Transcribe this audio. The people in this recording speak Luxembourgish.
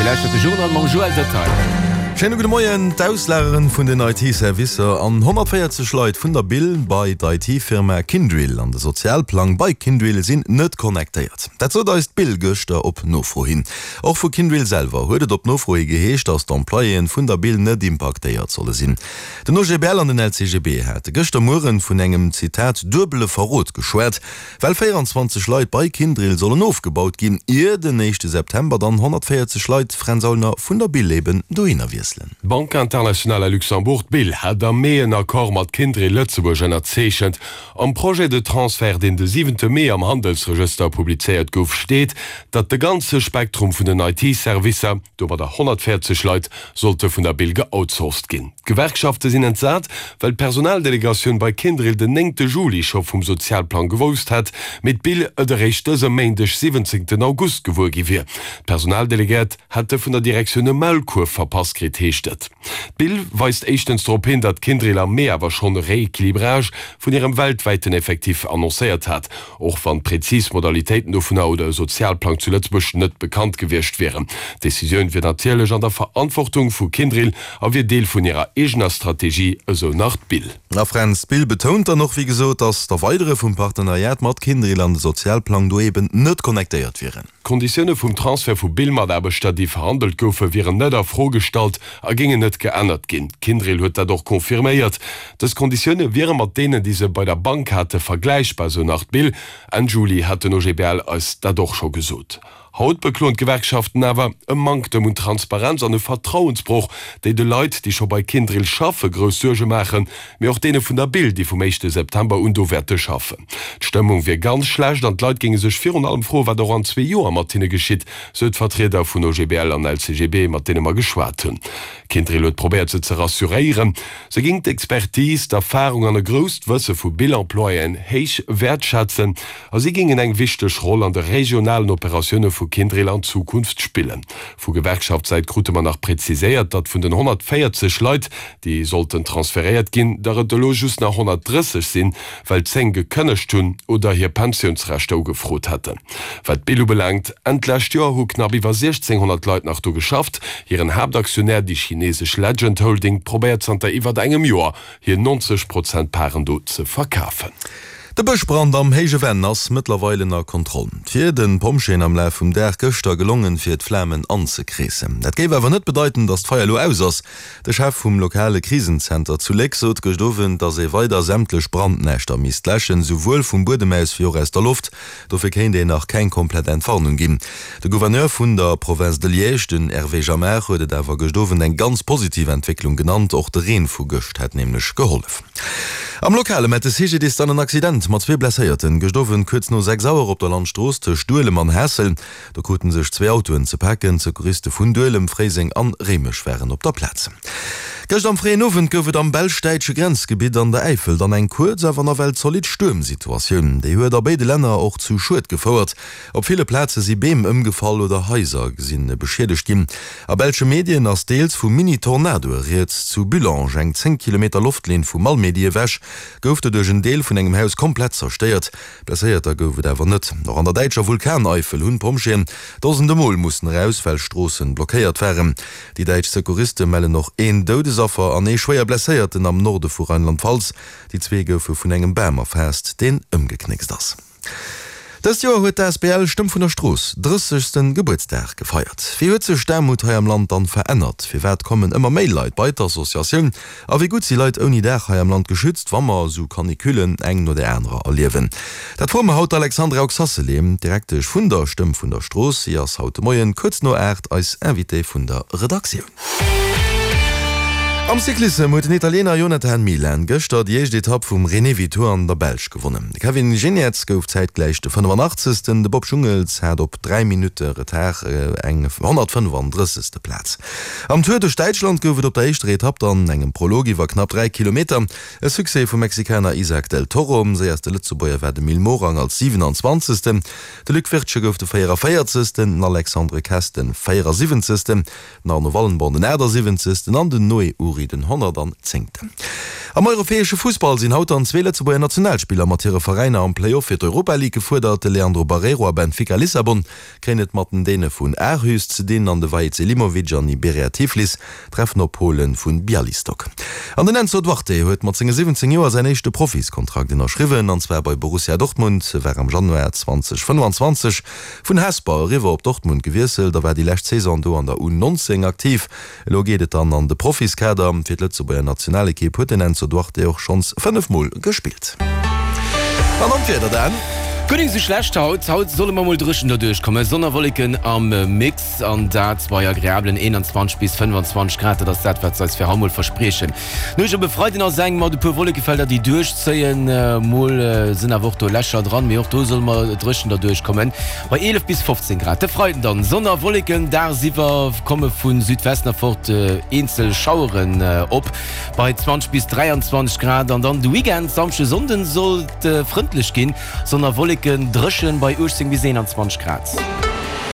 Dir lauschtert de Journal mam Joël Detail. Schéine gudde Moien. D'Auslageren vun den IT-Servicer an 140 Leit vun der Bill bei d'IT-Firma Kyndryl an de Sozialplang bei Kyndryl sinn net connectéiert. Dat sot eis d'Bill gëschter op Nofro hin. Och vu Kyndryl selwer huet et op Nofro hi geheescht, datt d'Employéen vun der Bill net impaktéiert solle sinn. Den OGBL an den LCGB hate gëschter Mueren vun engem, Zitat, duebele Verrot geschwat. Well 24 Leit bei Kyndryl sollen ofgebaut ginn, ier den éischte September dann 140 Leit, Fränz Aulner, vun der Bill eben dohinner wiesselen. D'Banque Internationale à Luxembourg, d'BIL, hat am Mee en Accord mat Kyndryl Lëtzebuerg ënnerzeechent. Am Projet de transfert, deen de siwente Mee am Handelsregëster publizéiert gouf, steet, datt de ganze Spektrum vun den IT-Servicer, domadder 140 Leit, sollte vun der Bill geoutsourced ginn. D'Gewerkschafte sinn entsat, well d'Personaldelegatioun bei Kyndryl den néngte Juli scho vum Sozialplang gewousst hätt, mee d'Bill et eréischt dëse Méindeg, 17 August, gewuer gi wier. D'Personaldelegéiert hätte vun der Direktioun e Maulkuerf verpasst kritt, heescht et. D'Bill weist éischtens drop hin, datt Kyndryl am Mee awer schonn e Rééquilibrage vun hirem weltwäiten Effectif annoncéiert hat. Och wann d'prezis Modalitéiten dovunner oder e Sozialplang zu Lëtzebuerg net bekannt gewiescht wieren. D'Decisioun wier natierlech an der Verantwortung vu Kyndryl a wier Deel vun hirer eegener Strategie, esou nach d'Bill. A Fränz, d'Bill betount dann och wéi gesot, datt d'Erweidere vum Partenariat mat Kyndryl an de Sozialplang do eben net connectéiert wieren. D'Konditioune vum Transfert vu Bill-Mataarbechter, déi verhandelt goufen, wieren net a Fro gestallt a géingen net geännert ginn. Kyndryl huet dat och confirméiert. Dës Konditioune wiere mat deenen, déi se bei der Bank hate, vergläichbar, sou nach d'Bill. Enn Juli hat den OGBL eis dat och scho gesot. Haut bekloen d'Gewerkschaften awer e Manktem un Transparenz an e Vertrauensbroch, déi de Leit, déi scho bei Kyndryl schaffe, grouss Suerge maachen. Mee och deene vun der Bill, déi vum éischte September un do wäerte schaffen. D'Stëmmung wier ganz schlecht an d'Leit géinge sech virun allem froen, wat och an zwee Joer mat hinne geschitt, sou d'Vertrieder vun OGBL an LCGB, mat deene mer geschwat hunn. Kyndryl huet probéiert, se ze rassuréieren. Se géing d'Expertise, d'Erfarung an e grousst Wësse vu Bill-Employéen héich wäertschätzen a si géingen eng wichteg Roll an de regionalen Operatioune vu Kyndryl an Zukunft spillen. Vu Gewerkschaftssäit krute mer nach preziséiert, datt vun den 140 Leit, déi sollten transferéiert ginn, der et elo just nach 130 sinn, well 10 gekënnegt hunn oder hir Pensiounsrechter ugefrot hätten. Wat d'Bill ubelaangt, Enn d'lescht Joer hu knapp iwwer 1.600 Leit nach do geschafft. Hiren Haaptaktionär, déi chinesesch Legend Holding, probéiert zanter iwwert engem Joer, hir 90 Prozent Paren do ze verkafen. De Bëschbrand am Héije Venn ass mëttlerweil ënner Kontroll. Et wier de Pompjeeën am Laf vum Dag gëschter gelongen, fir d'Flamen anzekreessen. Dat géif awer net bedeiten, datt d'Feier elo aus ass. De Chef vum lokale Krisenzenter zu Léck sot gëscht Owend, datt ee weider sämtlech Brandnäschter misst läschen, souwuel vum Buedem aus wéi och aus der Loft. Dofir kéint een nach keng komplett Entwarnung ginn. De Gouverneur vun der Province de Liège, den Hervé Jamard, huet et awer gëscht Owend eng ganz positiv Entwécklung genannt. Och de Reen vu gëscht hätt nämlech gehollef. Am Lokale mellt de CGDIS dann en Accident mat zwee Blesséierten gëscht Owend kuerz no 6 Auer op der Landstrooss tëscht Duelem an Haassel. Do kruten sech zwee Autoen ze paken. D'Secouriste vun Duelem, Fréiseng an Réimech waren op der Plaz. Gëscht am fréien Owend gouf et am belsch-däitsche Grenzgebitt an der Äifel dann eng kuerz, awer nawell zolidd Stuermsituatioun. Déi huet a béide Länner och zu Schued gefouert. Op ville Plaze si Beem ëmgefall oder Haiser si beschiedegt ginn. A belsche Medien ass deels vu Mini-Tornadoe rieds. Zu Bullange, eng 10 Kilometer Loftlinn vu Malmedy ewech, gouf doduerch en Deel vun engem Haus komplett zerstéiert. Blesséierter gouf et awer net. Och an der däitscher Vulkaneifel hunn d'Pompjeeën dosende Mol mussen eraus, well Stroossen blockéiert waren. Déi däitsch Secouriste mellen och een Doudesaffer an ee schwéier Blesséierten am Norde vu Rheinland-Pfalz. Déi zwee goufe vun engem Bam erfaasst, deen ëmgeknéckst ass. Dëst Joer huet d'ASBL Stëmm vun der Strooss drëssegste Gebuertsdag gefeiert. Wéi huet sech d'Aarmut hei am Land dann verännert? Firwat kommen ëmmer méi Leit bei d'Associatioun? A wéi gutt si Leit ouni Daach hei am Land geschützt, wa mer esou Canicullen eng no der anerer erliewen? Dat froe mer haut d'Alexandra Oxacelé, Direktesch vun der Stëmm vun der Strooss. Si ass haut de Moien kuerz no 8 eis Invitée vun der Redaktioun. Am Cyclissem huet den Italiener Jonathan Milan gëschter déi éischt Etapp vum Renewi Tour an der Belsch gewonnen. De Kevin Geniets gouf zäitgläich de 85. De Bob Jungels hat op 3 Minutte Retard eng 135. Plaz. Am Tour duerch Däitschland gouf et op der éischter Etapp dann engem Prolog iwwer knapp 3 Kilometer e Succès vum Mexikaner Isaac del Toro. Séierste Lëtzebuerger war de Mil Morang als 27. De Luc Wirtgen gouf de 44. Den Alexandre Kess de 74. Den Arno Wallenborn den 78. An den Noé Uri den 110. Am europäesche Fussball sinn haut dann zwee Lëtzebuerger Nationalspiller mat hire Veräiner am Play-Off fir d'Europa League gefuerdert. De Leandro Barreiro a Benfica Lissabon kréien et mat den Däne vun Aarhus ze dinn an de Vahid Selimovic an Iberia Tiflis treffen op Polen vun Bialystok. An den Enzo Duarte huet mat senge 17 Joer säin éischte Profiskontrakt ënnerschriwwen, an zwar bei Borussia Dortmund. E war am Januar 2025 vun Hesper eriwwer op Dortmund gewiesselt a war déi lescht Saison do an der U19 aktiv. Elo geet et dann an de Profiskader. Fir d'Lëtzebuerger Nationalekipp huet den Enzo Duarte och schonns 5 Mol gespillt. An dann d'Wieder, Dan. Guer nik sou schlecht haut. Haut solle mer mol dréchen derduerch kommen. Sonn a Wolleken am Mix an dat bei agreablen 21 bis 25 Grad. Dat ass dat, wat se eis fir haut mol verspriechen. Nuecht op e Freiden ass eng mat e puer Wollekefelder, déi duerchzéien. Mol sinn awer och do Lächer dran, mee och do solle mer dréchen derduerch kommen bei 11 bis 15 Grad. De Freiden dann Sonn a Wolleken, dagsiwwer komme vu Südwesten erfort eenzel Schaueren op bei 20 bis 23 Grad. An dann de Weekend, Samschde, Sonnden, soll et frëndlech ginn, Sonn a Wolleken, dréchen bei 18 bis 21 Grad.